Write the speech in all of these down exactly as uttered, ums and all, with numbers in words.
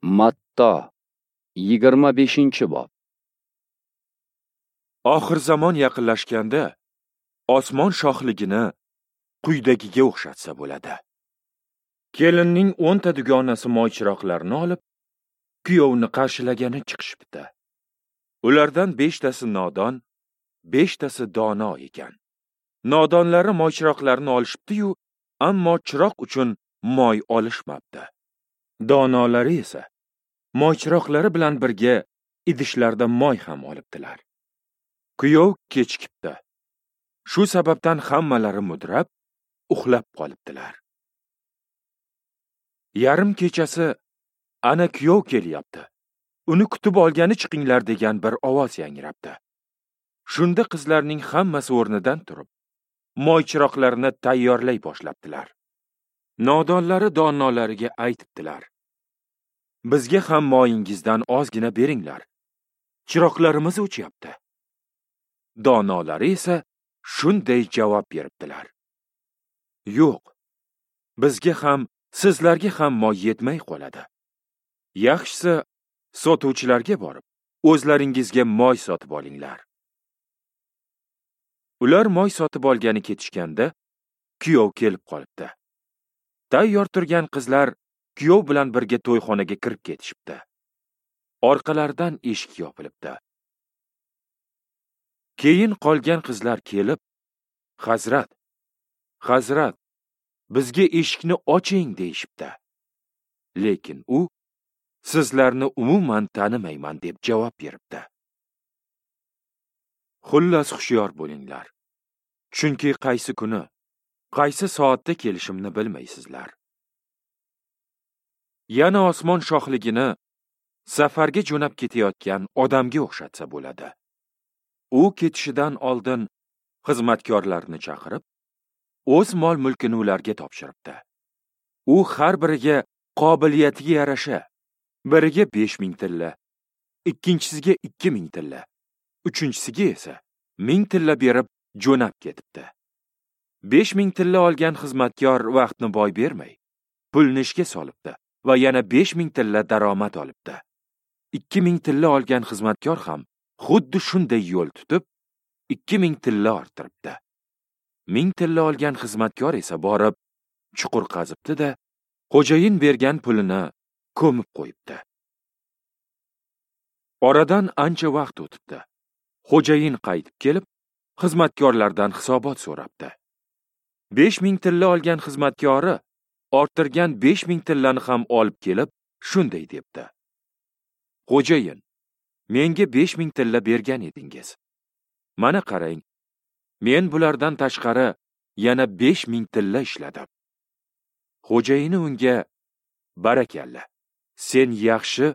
Matto yigirma beshinchi bob. Oxir zamon yaqinlashganda osmon shohligini quyidagiga o'xshatsa bo'ladi. Kelinning o'nta dugonasi moychiroqlarni olib, kuyovni qarshilagani chiqishibdi. Ulardan beshtasi nodon, beshtasi dono ekan. Nodonlari moychiroqlarni olishibdi-yu, ammo chiroq uchun moy olishmabdi. Donolari esa moychiroqlari bilan birga idishlarda moy ham olibdilar. Kuyov kechikibdi. Shu sababdan hammalari mudrab, uxlab qolibdilar. Yarim kechasi ana kuyov kelyapti. Uni kutib olgani chiqinglar degan bir ovoz yangrabdi. Shunda qizlarning hammasi o'rnidan turib, moychiroqlarini tayyorlay boshlabdilar. Nodonlari donolariga aytibdilar: bizga ham moyingizdan ozgina beringlar. Chiroqlarimiz o'chyapti. Donolari esa shunday javob beribdilar: yo'q, bizga ham, sizlarga ham moy yetmay qoladi. Yaxshisi sotuvchilarga borib, o'zlaringizga moy sotib olinglar. Ular moy sotib olgani ketishganda kuyov kelib qolibdi. Tayyor turgan qizlar kuyov bilan birga to'yxonaga kirib ketishibdi. Orqalaridan eshik yopilibdi. Keyin qolgan qizlar kelib, "Hazrat, Hazrat, bizga eshikni oching" deyishibdi. Lekin u, "Sizlarni umuman tanimayman" deb javob beribdi. Xullas, hushyor bo'linglar. Chunki qaysi kuni, qaysi soatda kelishimni bilmaysizlar. Yana osmon shohligini safarga jo'nab ketayotgan odamga o'xshatsa bo'ladi. U ketishidan oldin xizmatkorlarni chaqirib, o'z mol-mulkini ularga topshiribdi. U har biriga qobiliyatiga yarasha, biriga besh ming tilla, ikkinchisiga ikki ming tilla, uchinchisiga esa ming tilla berib jo'nab ketibdi. Besh ming tilla olgan xizmatkor vaqtni boy bermay, pulni ishga solibdi va yana besh ming tilla daromad olibdi. Ikki ming tilla olgan xizmatkor ham xuddi shunday yo'l tutib, ikki ming tilla orttiribdi. Ming tilla olgan xizmatkor esa borib, chuqur qazibdi-da, xo'jayin bergan pulini ko'mib qo'yibdi. Oradan ancha vaqt o'tibdi. Xo'jayin qaytib kelib, xizmatkorlardan hisobot so'rabdi. Besh ming tilla olgan xizmatkori orttirgan besh ming tillani ham olib kelib, shunday debdi: "Xo'jayin, menga besh ming tilla bergan edingiz. Mana qarang, men bulardan tashqari yana besh ming tilla ishladim." Xo'jayini unga: "Barakalla, sen yaxshi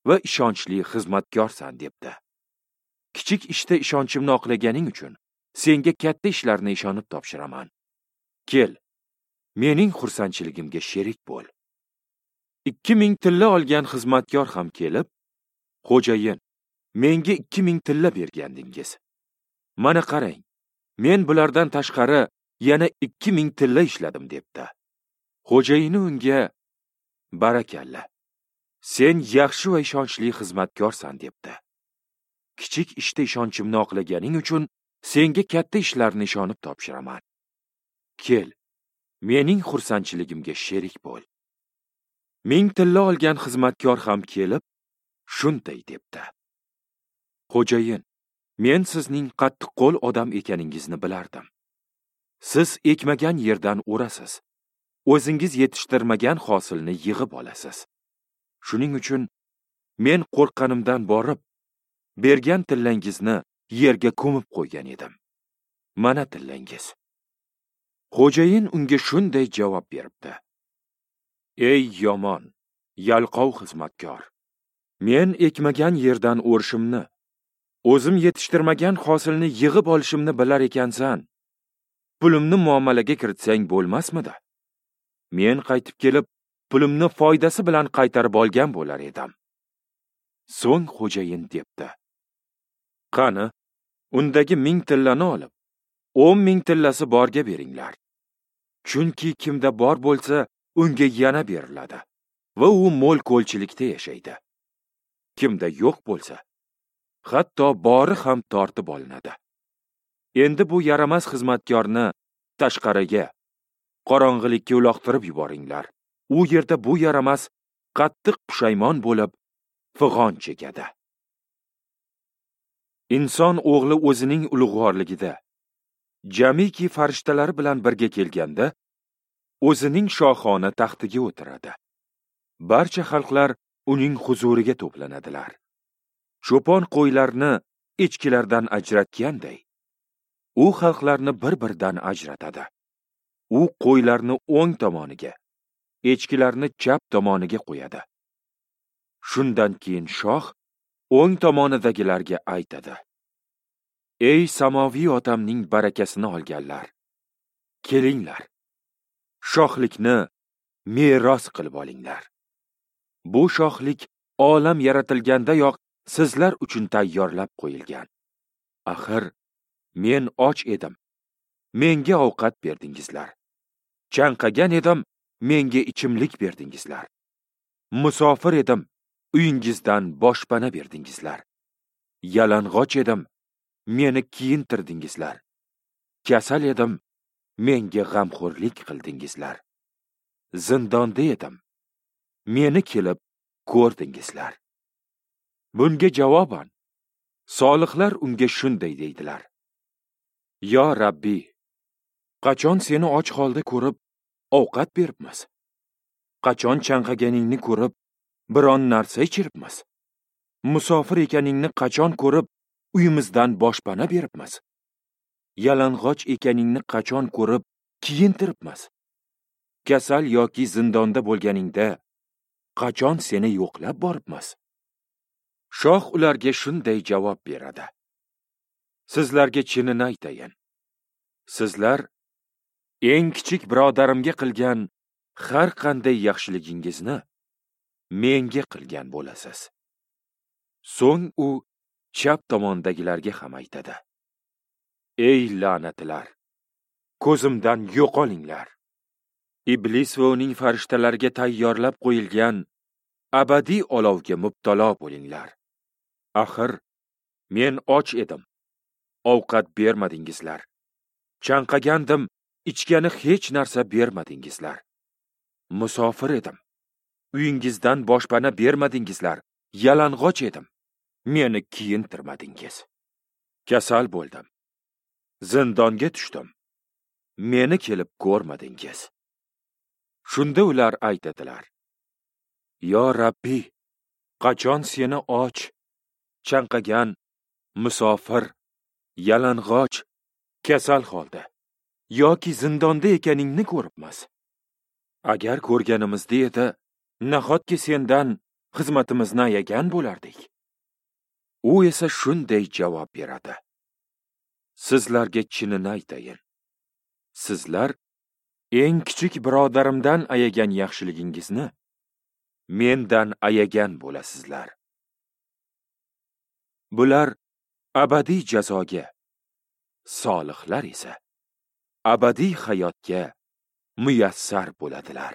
va ishonchli xizmatkorsan" debdi. "Kichik ishda ishonchimni oqlaganing uchun senga katta ishlarni ishonib topshiraman. Kel, mening xursandchiligimga sherik bo'l." Ikki ming tilla olgan xizmatkor ham kelib, "Xo'jayin, menga ikki ming tilla bergandingiz. Mana qarang, men bulardan tashqari yana ikki ming tilla ishladim" debdi. Xo'jayini unga: "Barakalla, sen yaxshi va ishonchli xizmatkorsan" debdi. "Kichik ishda ishonchimni oqlaganing uchun senga katta ishlarni ishonib topshiraman. Kel, mening xursandchiligimga sherik bo'l." Ming tilla olgan xizmatkor ham kelib, shunday debdi: "Xo'jayin, men sizning qattiqqo'l odam ekaningizni bilardim. Siz ekmagan yerdan o'rasiz, o'zingiz yetishtirmagan hosilni yig'ib olasiz. Shuning uchun men qo'rqqanimdan borib, bergan tillangizni yerga ko'mib qo'ygan edim. Mana tillangiz." Xo'jayin unga shunday javob beribdi: "Ey yomon, yalqov xizmatkor! Men ekmagan yerdan o'rishimni, o'zim yetishtirmagan hosilni yig'ib olishimni bilar ekansan. Pulimni muomalaga kiritsang bo'lmasmidi? Men qaytib kelib, pulimni foydasi bilan qaytarib olgan bo'lar edim." So'ng xo'jayin debdi: "Qani, undagi ming tillani olib, o'n ming tillasi borga beringlar. Chunki kimda bor bo'lsa, unga yana beriladi va u mo'l-ko'lchilikda yashaydi. Kimda yo'q bo'lsa, hatto bori ham tortib olinadi. Endi bu yaramas xizmatkorni tashqariga, qorong'ilikka uloqtirib yuboringlar. U yerda bu yaramas qattiq pushaymon bo'lib, fig'on chekadi. Inson o'g'li o'zining ulug'vorligida jamiki farishtalari bilan birga kelganda, o'zining shohona taxtiga o'tiradi. Barcha xalqlar uning huzuriga to'planadilar. Cho'pon qo'ylarni echkilardan ajratganday, u xalqlarni bir-biridan ajratadi. U qo'ylarni o'ng tomoniga, echkilarni chap tomoniga qo'yadi. Shundan keyin shoh o'ng tomonidagilarga aytadi: Ey samoviy otamning barakasini olganlar, kelinglar, shohlikni meros qilib olinglar. Bu shohlik olam yaratilgandayoq sizlar uchun tayyorlab qo'yilgan. Axir men och edim, menga ovqat berdingizlar. Chanqagan edim, menga ichimlik berdingizlar. Musofir edim, uyingizdan boshpana berdingizlar. Yalang'och edim, meni kiyintirdingizlar. Kasal edim, menga g'amxo'rlik qildingizlar. Zindonda edim, meni kelib ko'rdingizlar. Bunga javoban solihlar unga shunday deydilar: Yo Rabbi, qachon seni och holda ko'rib ovqat beribmiz? Qachon chanqaganingni ko'rib biron narsa ichiribmiz? Musofir ekaningni qachon ko'rib uyimizdan boshpana beribmiz? Yalang'och ekaningni qachon ko'rib kiyintiribmiz? Kasal yoki zindonda bo'lganingda qachon seni yo'qlab boribmiz? Shoh ularga shunday javob beradi: Sizlarga chinini aytayin, sizlar eng kichik birodarimga qilgan har qanday yaxshiligingizni menga qilgan bo'lasiz. So'ng u chap tomondagilarga ham aytadi: Ey la'natlar, ko'zimdan yo'qolinglar. Iblis va uning farishtalariga tayyorlab qo'yilgan abadiy olovga mubtalo bo'linglar. Axir men och edim, ovqat bermadingizlar. Chanqagandim, ichgani hech narsa bermadingizlar. Musofir edim, uyingizdan boshpana bermadingizlar. Yalang'och edim, meni kiyintirmadingiz. Kasal bo'ldim, zindonga tushdim, meni kelib ko'rmadingiz. Shunda ular aytadilar: Yo Rabbi, qachon seni och, chanqagan, musofir, yalang'och, kasal holda yoki zindonda ekaningni ko'ribmiz? Agar ko'rganimizda edi, nahotki sendan xizmatimizni ayagan bo'lardik? U esa shunday javob beradi: Sizlarga chinini aytayin, sizlar eng kichik birodarimdan ayagan yaxshiligingizni mendan ayagan bo'lasizlar. Bular abadiy jazoga, solihlar esa abadiy hayotga muyassar bo'ladilar.